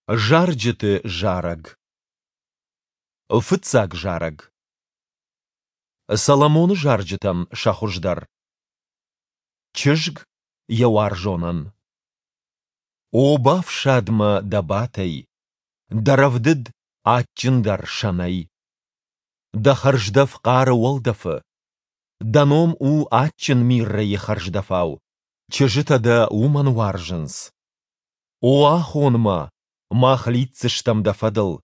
Зарджыты зарӕг. Фыццаг зарӕг. Соломоны зарджытӕн сӕ хуыздӕр. Чызг йӕ уарзонӕн. О, бафсад мӕ дӕ батӕй, дӕ рӕвдыд адджындӕр сӕнӕй. Дӕ хӕрздӕф хъары уӕлдӕфы. Дӕ ном у адджын миррӕйы хӕрздӕфау, чызджытӕ дӕ уымӕн уарзынц. О, ахон мӕ, мах лидздзыстӕм дӕ фӕдыл.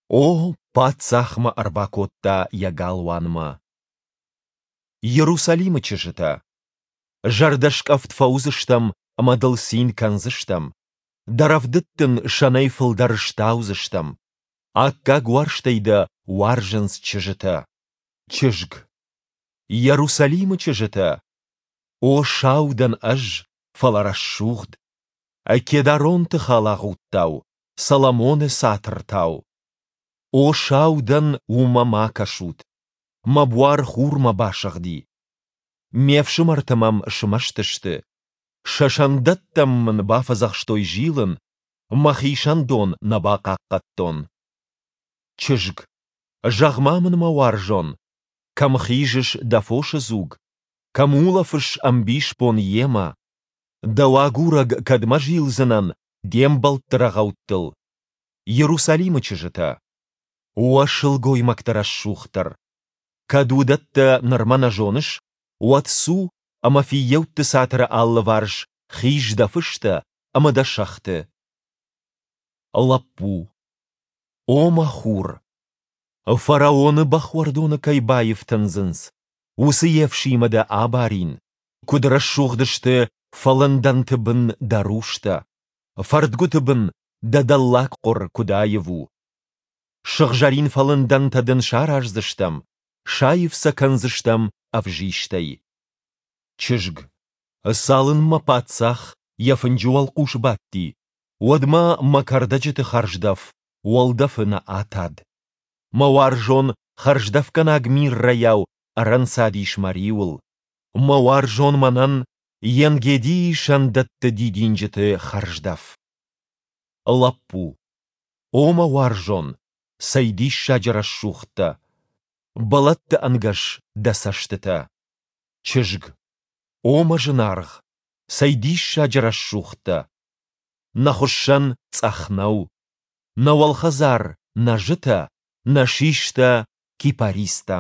О, паддзах мӕ ӕрбакодта йӕ галуанмӕ. Иерусалимы чызджытӕ! Зӕрдӕскъӕфт фӕуыдзыстӕм ӕмӕ дыл цин кӕндзыстӕм. Дӕ рӕвдыд дын сӕнӕй фылдӕр стаудзыстӕм. Аккаг уарзтӕй дӕ уарзынц чызджытӕ. Чызг. Иерусалимы чызджытӕ! О, сау дӕн ӕз, фӕлӕ рӕсугъд. Кедаронты халагъудтау, Соломоны цатыртау. О, сау дӕн, уымӕ ма кӕсут. Мӕ буар хурмӕ басыгъди. Ме фсымӕртӕ мӕм смӕсты сты. Сӕ сӕндӕттӕм мын бафӕдзӕхстой зилын, мӕхи сӕндон нӕ бахъахъхъӕдтон. Чызг. Зӕгъ-ма мын, мӕ уарзон, кӕм хизыс дӕ фосы дзуг, кӕм улӕфыс ӕмбисбон йемӕ? Дӕу агурӕг кӕдмӕ зилдзынӕн де мбӕлтты рӕгъӕуттыл? Иерусалимы чызджытӕ! Уӕ сылгоймӕгты рӕсугъддӕр! Кӕд уыдӕттӕ нырма нӕ зоныс, уӕд цу ӕмӕ фыййӕутты цатыры алыварс хиз дӕ фыстӕ ӕмӕ дӕ сӕгъты. Лӕппу. О мӕ хур! Фараоны бӕхуӕрдоны кӕй баифтындзынц, уыцы ефсимӕ дӕ абарин. Куыд рӕсугъд сты фӕлындӕнты бын дӕ рустӕ, фӕрдгуыты бын дӕ дӕллагхъуыр куыд аив у. Сыгъзӕрин фӕлындӕнтӕ дын сараздзыстӕм, саив сӕ кӕндзыстӕм ӕвзистӕй. Чызг. Цалынмӕ паддзах йӕ фынджы уӕлхъус бадти, уӕдмӕ мӕ кӕрдӕджыты хӕрздӕф уӕлдӕфы нӕ атад. Мӕ уарзон хӕрздӕфгӕнаг миррӕйау ӕрӕнцадис мӕ риуыл. Мӕ уарзон мӕнӕн Енгедийы сӕндӕтты дидинджыты хӕрздӕф. Лӕппу. О мӕ уарзон, цӕй диссаджы рӕсугъд дӕ! Бӕлӕтты ӕнгӕс дӕ цӕстытӕ. Чызг. О мӕ зынаргъ, цӕй диссаджы рӕсугъд дӕ! Нӕ хуыссӕн цъӕх нӕу. Нӕ уӕлхӕдзар нӕзытӕ, нӕ систӕ кипаристӕ.